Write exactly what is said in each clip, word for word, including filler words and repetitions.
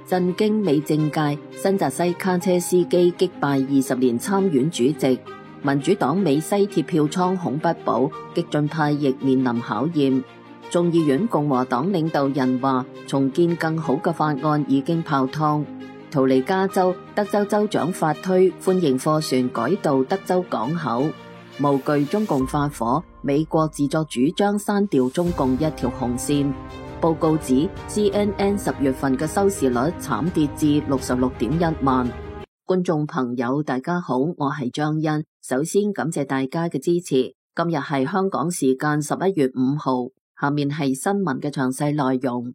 震驚美政界，新澤西卡車司機擊敗二十年參院主席。民主黨美西鐵票倉恐不保，激進派亦面臨考驗。眾議院共和黨領導人話，重建更好嘅法案已經泡湯。逃離加州，德州州長法推歡迎貨船改道德州港口。無懼中共發火，美國自作主張刪掉中共一條紅線。報告指 C N N 十月份嘅收視率慘跌至六十六點一萬。觀眾朋友大家好，我係張欣，首先感謝大家嘅支持。今日係香港時間十一月五號，下面係新聞嘅詳細內容。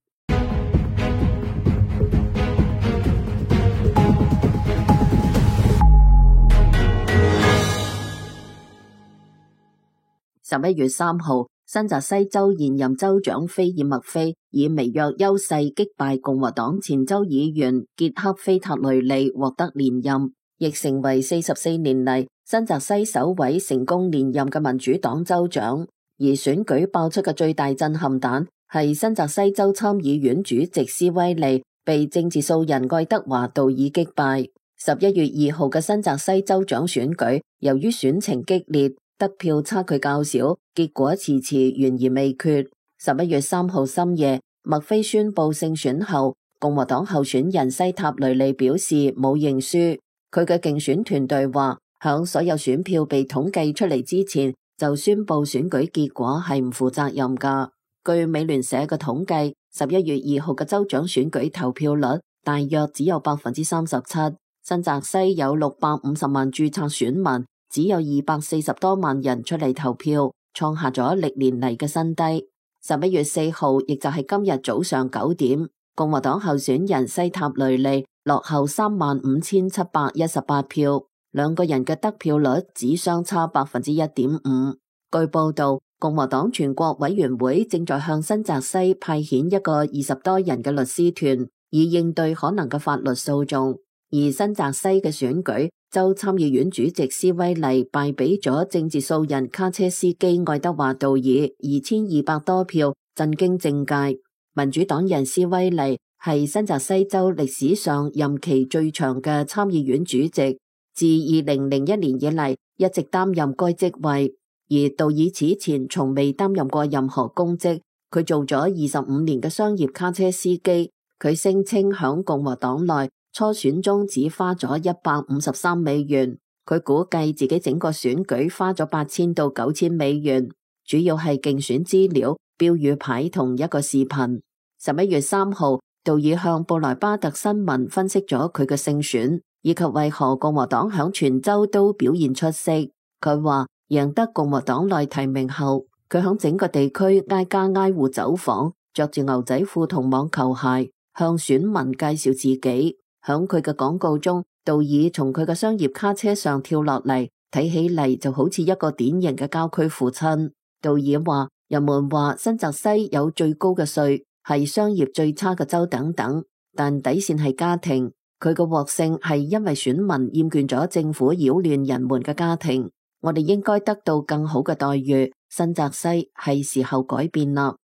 十一月三號，新澤西州現任州長菲爾麥菲以微弱優勢擊敗共和黨前州議員傑克菲塔雷利，獲得連任，亦成為四十四年嚟新澤西首位成功連任嘅民主黨州長。而選舉爆出嘅最大震撼彈係新澤西州參議院主席斯威利被政治素人愛德華道爾擊敗。十一月二號嘅新澤西州長選舉，由於選情激烈，得票差距較少，結果遲遲懸而未決。十一月三號深夜，麥菲宣布勝選後，共和黨候選人西塔雷利表示冇認輸。佢嘅競選團隊話，響所有選票被統計出嚟之前，就宣布選舉結果係唔負責任噶。據美聯社嘅統計，十一月二號嘅州長選舉投票率大約只有百分之三十七。新澤西有六百五十萬註冊選民，只有二百四十多萬人出嚟投票，創下咗歷年嚟嘅新低。十一月四號，亦就係今日早上九點，共和黨候選人西塔雷利落後三萬五千七百一十八票，兩個人嘅得票率只相差百分之一點五。據報道，共和黨全國委員會正在向新澤西派遣一個二十多人嘅律師團，以應對可能嘅法律訴訟。而新澤西嘅選舉，州參議院主席斯威利敗俾咗政治素人卡車司機愛德華道爾二千二百多票，震驚政界。民主黨人斯威利係新澤西州歷史上任期最長嘅參議院主席，自二零零一年以嚟一直擔任該職位。而道爾此前從未擔任過任何公職，佢做咗二十五年嘅商業卡車司機。佢聲稱響共和黨內初選中只花咗一百五十三美元，佢估計自己整個選舉花咗八千到九千美元，主要係競選資料、標語牌同一個視頻。十一月三號，道爾向布萊巴特新聞分析咗佢嘅勝選，以及為何共和黨響全州都表現出色。佢話贏得共和黨內提名後，佢響整個地區挨家挨戶走訪，着住牛仔褲同網球鞋，向選民介紹自己。響佢嘅廣告中，道爾從佢嘅商業卡車上跳落嚟，睇起嚟就好似一個典型嘅郊區父親。道爾話，人們話新澤西有最高嘅稅，係商業最差嘅州等等，但底線係家庭。佢嘅獲勝係因為選民厭倦咗政府擾亂人們嘅家庭。我哋應該得到更好嘅待遇。新澤西係時候改變啦。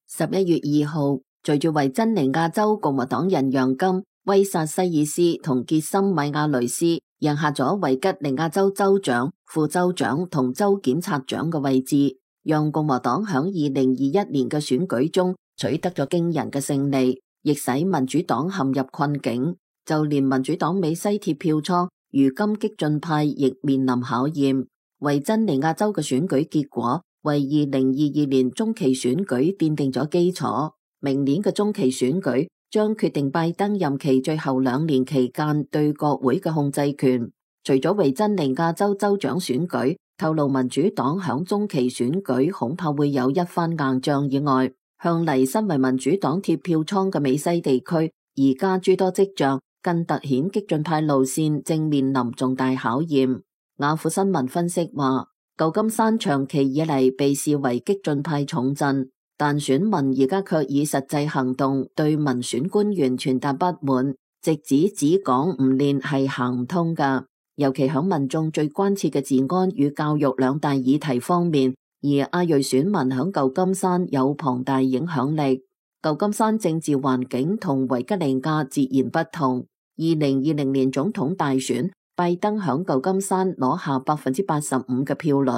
十一月二號，隨住維珍尼亞州共和黨人楊金、威薩西爾斯同傑森米亞雷斯贏下咗維吉尼亞州州長、副州長同州檢察長嘅位置，讓共和黨響二零二一年嘅選舉中取得咗驚人嘅勝利，亦使民主黨陷入困境。就連民主黨美西鐵票倉，如今激進派亦面臨考驗。維珍尼亞州嘅選舉結果為二零二二年中期選舉奠定咗基礎。明年嘅中期選舉將決定拜登任期最後兩年期間對國會嘅控制權。除咗維珍尼亞州州長選舉透露民主黨響中期選舉恐怕會有一番硬仗以外，向嚟身為民主黨鐵票倉嘅美西地區，而家諸多跡象更凸顯激進派路線正面臨重大考驗。雅虎新聞分析話，舊金山長期以嚟被視為激進派重鎮，但選民而家卻以實際行動對民選官員傳達不滿，直指只講唔練係行唔通㗎。尤其響民眾最關切嘅治安與教育兩大議題方面，而亞裔選民響舊金山有龐大影響力。舊金山政治環境同維吉尼亞截然不同。二零二零年總統大選，拜登響舊金山攞下百分之八十五嘅票率。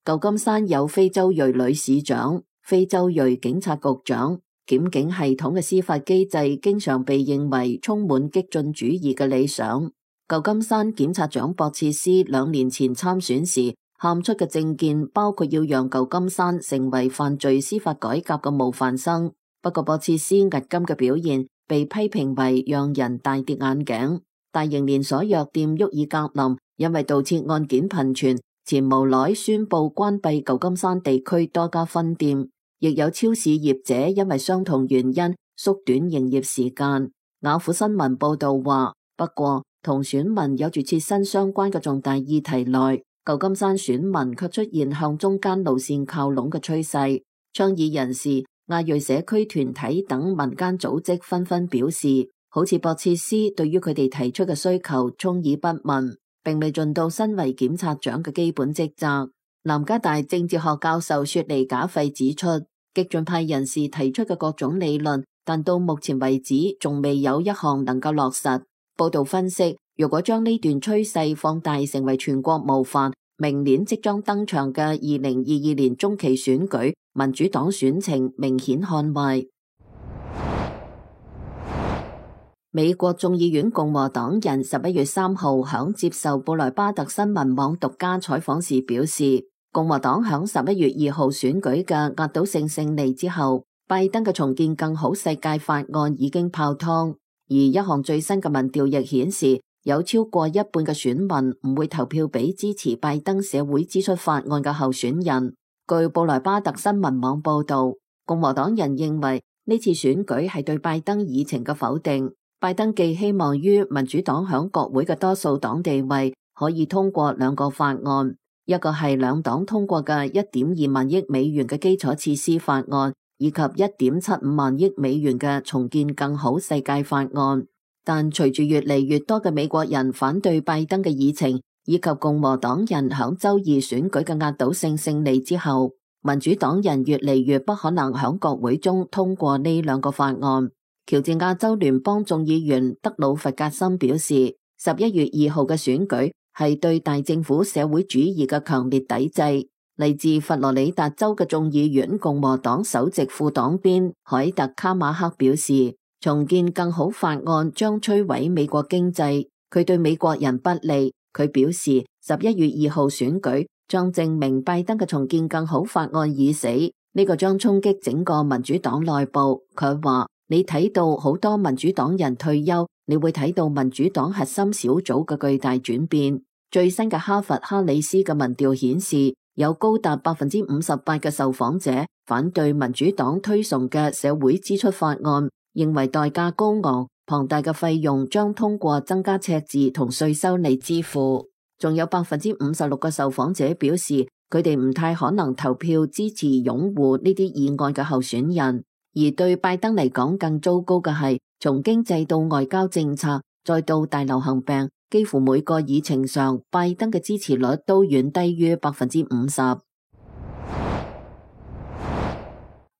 舊金山有非洲裔女市長、非洲裔警察局長，檢警系統嘅司法機制經常被認為充滿激進主義嘅理想。舊金山檢察長博切斯兩年前參選時喊出嘅政見包括要讓舊金山成為犯罪司法改革嘅模範生。不過博切斯迄今嘅表現被批評為讓人大跌眼鏡。大型連鎖藥店沃爾格林因為盜竊案件頻傳，前無奈宣布關閉舊金山地區多家分店，亦有超市業者因為相同原因縮短營業時間。雅虎新聞報道話，不過同選民有住切身相關嘅重大議題內，舊金山選民卻出現向中間路線靠攏嘅趨勢。倡議人士、亞裔社區團體等民間組織紛紛表示，好似博切斯對於佢哋提出嘅需求充耳不聞，並未盡到身為檢察長嘅基本職責。南加大政治學教授雪梨賈費指出，激進派人士提出嘅各種理論，但到目前為止仲未有一項能夠落實。報道分析，如果將呢段趨勢放大成為全國模範，明年即將登場嘅二零二二年中期選舉，民主黨選情明顯看壞。美國眾議院共和黨人十一月三號響接受布萊巴特新聞網獨家採訪時表示，共和黨響十一月二號選舉嘅壓倒性勝利之後，拜登嘅重建更好世界法案已經泡湯。而一項最新嘅民調亦顯示，有超過一半嘅選民唔會投票俾支持拜登社會支出法案嘅候選人。據布萊巴特新聞網報道，共和黨人認為呢次選舉係對拜登議程嘅否定。拜登寄希望於民主黨響國會嘅多數黨地位可以通過兩個法案，一個係兩黨通過嘅一點二萬億美元嘅基礎設施法案，以及一點七五萬億美元嘅重建更好世界法案。但隨住越嚟越多嘅美國人反對拜登嘅議程，以及共和黨人響周二選舉嘅壓倒性勝利之後，民主黨人越嚟越不可能響國會中通過呢兩個法案。喬治亞州聯邦眾議員德魯弗格森表示，十一月二號嘅選舉係對大政府社會主義嘅強烈抵制。嚟自佛羅里達州嘅眾議院共和黨首席副黨鞭凱特卡馬克表示，重建更好法案將摧毀美國經濟，佢對美國人不利。佢表示，十一月二號選舉將證明拜登嘅重建更好法案已死，呢、這個將衝擊整個民主黨內部。佢話，你睇到好多民主黨人退休，你會睇到民主黨核心小組嘅巨大轉變。最新嘅哈佛哈里斯嘅民調顯示，有高達百分之五十八嘅受訪者反對民主黨推崇嘅社會支出法案，認為代價高昂，龐大嘅費用將通過增加赤字同稅收嚟支付。仲有百分之五十六嘅受訪者表示，佢哋唔太可能投票支持擁護呢啲議案嘅候選人。而對拜登嚟講，更糟糕嘅係，從經濟到外交政策，再到大流行病，幾乎每個議程上，拜登嘅支持率都遠低於百分之五十。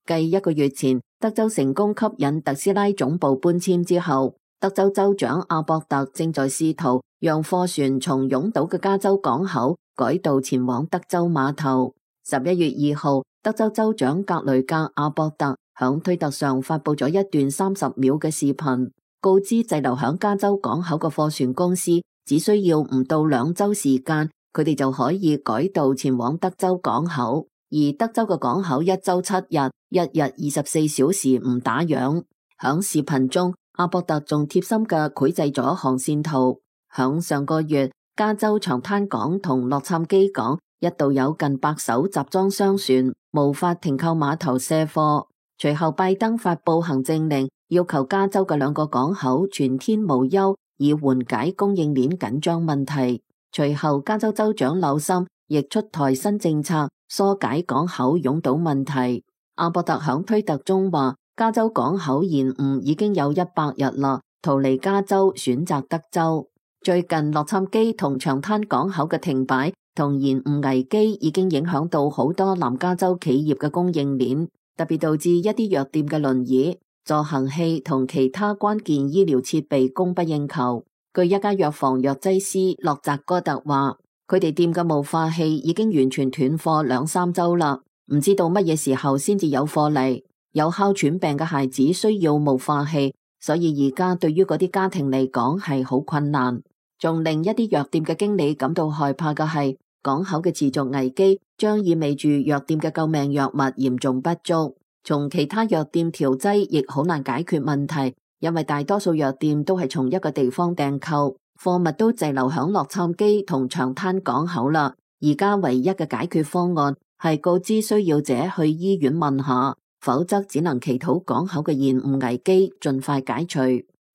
繼一個月前，德州成功吸引特斯拉總部搬遷之後，德州州長阿博特正在試圖讓貨船從擁堵嘅加州港口改道前往德州碼頭。十一月二號，德州州長格雷格阿博特響推特上發佈咗一段三十秒嘅視頻，告知滯留響加州港口嘅貨船公司，只需要唔到兩周時間，佢哋就可以改道前往德州港口。而德州嘅港口一周七日，一日二十四小時唔打烊。響視頻中，阿博特仲貼心嘅繪製咗航線圖。響上個月，加州長灘港同洛杉磯港一度有近百艘集裝箱船無法停靠碼頭卸貨。隨後拜登發佈行政令，要求加州嘅兩個港口全天無休，以緩解供應鏈緊張問題。隨後加州州長紐森亦出台新政策，疏解港口擁堵問題。阿博特響推特中話，加州港口延誤已經有一百日啦，逃離加州選擇德州。最近洛杉磯同長灘港口嘅停擺同延誤危機已經影響到好多南加州企業嘅供應鏈，特別導致一啲藥店嘅輪椅助行器同其他關鍵醫療設備供不應求。據一家藥房藥劑師洛澤哥特話，佢哋店嘅霧化器已經完全斷貨兩三周啦，唔知道乜嘢時候先至有貨嚟。有哮喘病嘅孩子需要霧化器，所以而家對於嗰啲家庭嚟講係好困難。仲令一啲藥店嘅經理感到害怕嘅係，港口嘅持續危機將意味住藥店嘅救命藥物嚴重不足，從其他藥店調劑亦好難解決問題，因為大多數藥店都係從一個地方訂購，貨物都滯留響洛杉磯同長灘港口啦。而家唯一嘅解決方案係告知需要者去醫院問下，否則只能祈禱港口嘅延誤危機盡快解除。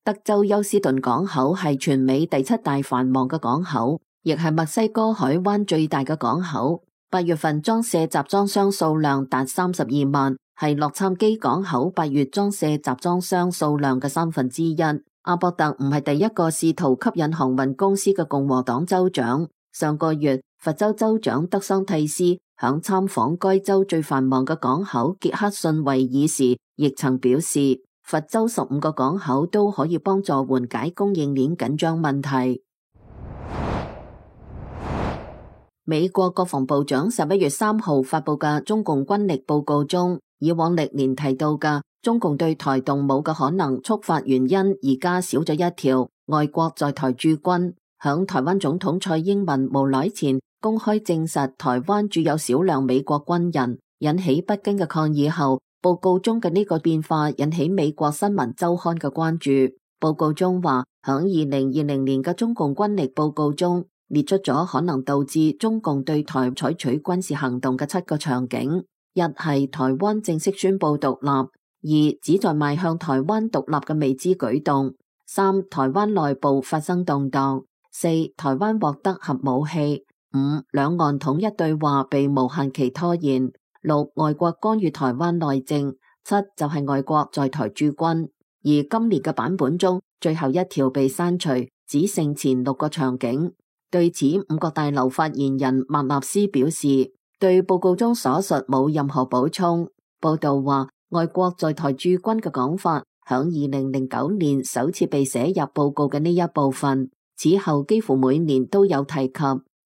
德州休斯頓港口係全美第七大繁忙嘅港口，亦係墨西哥海灣最大嘅港口。八月份裝卸集裝箱數量達三十二萬，係洛杉磯港口八月裝卸集裝箱數量嘅三分之一。阿博特唔係第一個試圖吸引航運公司嘅共和黨州長。上個月，佛州州長德桑蒂斯響參訪該州最繁忙嘅港口傑克遜維爾時，亦曾表示，佛州十五個港口都可以幫助緩解供應鏈緊張問題。美國國防部長十一月三號發佈嘅中共軍力報告中，以往歷年提到嘅中共對台動武嘅可能觸發原因，而家少咗一條：外國在台駐軍。響台灣總統蔡英文無耐前公開證實台灣駐有少量美國軍人，引起北京嘅抗議後，報告中嘅呢個變化引起美國新聞週刊嘅關注。報告中話，響二零二零年嘅中共軍力報告中列出咗可能導致中共對台採取軍事行動嘅七個場景：一係台灣正式宣布獨立；二旨在邁向台灣獨立嘅未知舉動；三台灣內部發生動盪；四台灣獲得核武器；五兩岸統一對話被無限期拖延；六外國干預台灣內政；七就係外國在台駐軍。而今年嘅版本中，最後一條被刪除，只剩前六個場景。對此，五角大樓發言人麥納斯表示，對報告中所述冇任何補充。報道話，外國在台駐軍嘅講法，響二零零九年首次被寫入報告嘅呢一部分，此後幾乎每年都有提及，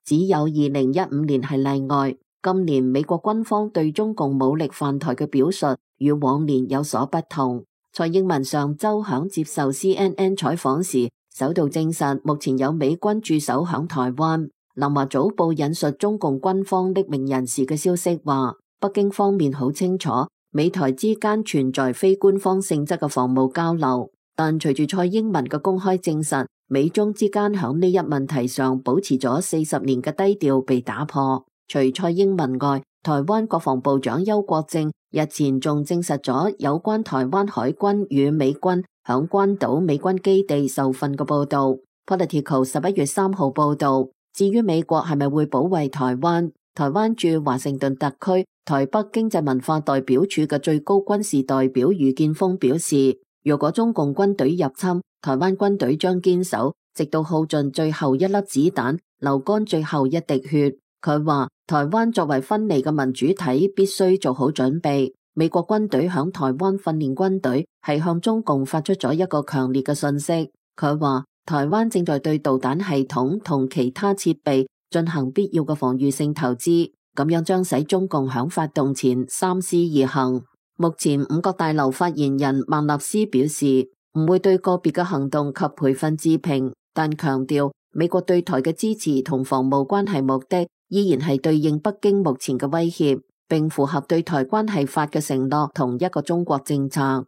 只有二零一五年係例外。今年美國軍方對中共武力犯台嘅表述與往年有所不同。蔡英文上周響接受 C N N 採訪時，首度證實目前有美軍駐守響台灣。南華早報引述中共軍方匿名人士嘅消息話，北京方面好清楚美台之間存在非官方性質嘅防務交流，但隨住蔡英文嘅公開證實，美中之間響呢一問題上保持咗四十年嘅低調被打破。除蔡英文外，台灣國防部長邱國正日前仲證實咗有關台灣海軍與美軍響關島美軍基地受訓嘅報道。Political 十一月三號報道，至於美國係咪會保衛台灣，台灣駐華盛頓特區台北經濟文化代表處嘅最高軍事代表余建峰表示，如果中共軍隊入侵，台灣軍隊將堅守，直到耗盡最後一粒子彈，流乾最後一滴血。佢話，台灣作為分離嘅民主體，必須做好準備。美國軍隊響台灣訓練軍隊，係向中共發出咗一個強烈嘅訊息。佢話，台灣正在對導彈系統同其他設備進行必要嘅防禦性投資，咁樣將使中共響發動前三思而行。目前五角大樓發言人孟納斯表示，唔會對個別嘅行動及培訓置評，但強調美國對台嘅支持同防務關係目的依然係對應北京目前嘅威脅，並符合對台關係法嘅承諾同一個中國政策。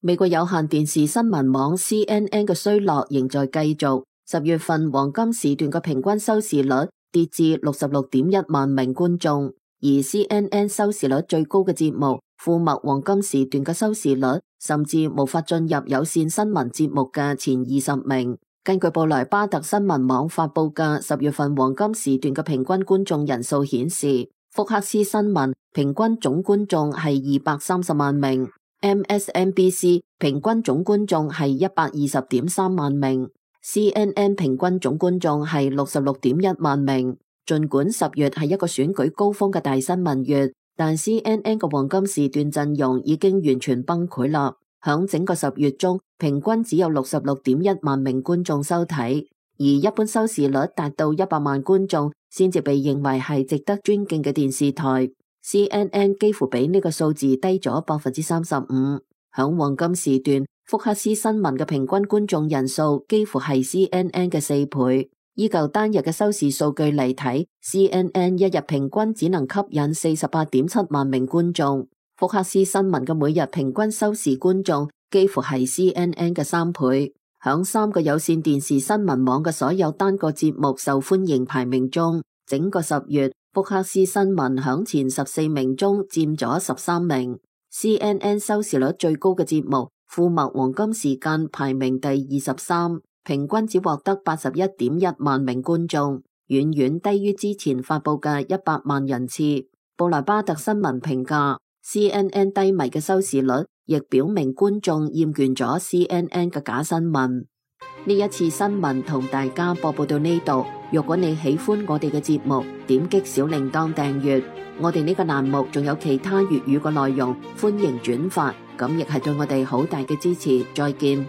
美國有線電視新聞網 C N N 嘅衰落仍在繼續，十月份黃金時段嘅平均收視率跌至六十六點一萬名觀眾，而 C N N 收視率最高嘅節目富墨黃金時段嘅收視率甚至無法進入有線新聞節目嘅前二十名。根據布萊巴特新聞網發佈嘅十月份黃金時段嘅平均觀眾人數顯示，福克斯新聞平均總觀眾係二百三十萬名。M S N B C 平均總觀眾係一百二十點三萬名 ，C N N 平均總觀眾係六十六點一萬名。儘管十月係一個選舉高峰嘅大新聞月，但 C N N 嘅黃金時段陣容已經完全崩潰啦。響整個十月中，平均只有六十六點一萬名觀眾收睇，而一般收視率達到一百萬觀眾先至被認為係值得尊敬嘅電視台。C N N 幾乎比呢個數字低咗百分之三十五。響黃金時段，福克斯新聞嘅平均觀眾人數幾乎係 C N N 嘅四倍。依舊單日嘅收視數據嚟睇， C N N 一日平均只能吸引四十八點七萬名觀眾。福克斯新聞嘅每日平均收視觀眾幾乎係 C N N 嘅三倍。響三個有線電視新聞網嘅所有單個節目受歡迎排名中，整個十月，福克斯新聞響前十四名中佔咗十三名。C N N 收視率最高嘅節目富墨黃金時間排名第二十三，平均只獲得八十一點一萬名觀眾，遠遠低於之前發佈嘅一百萬人次。布萊巴特新聞評價 C N N 低迷嘅收視率，亦表明觀眾厭倦咗 C N N 嘅假新聞。呢一次新聞同大家播報到呢度。如果你喜歡我哋嘅節目，點擊小鈴鐺訂閱。我哋呢個欄目仲有其他粵語嘅內容，歡迎轉發，咁亦係對我哋好大嘅支持。再見。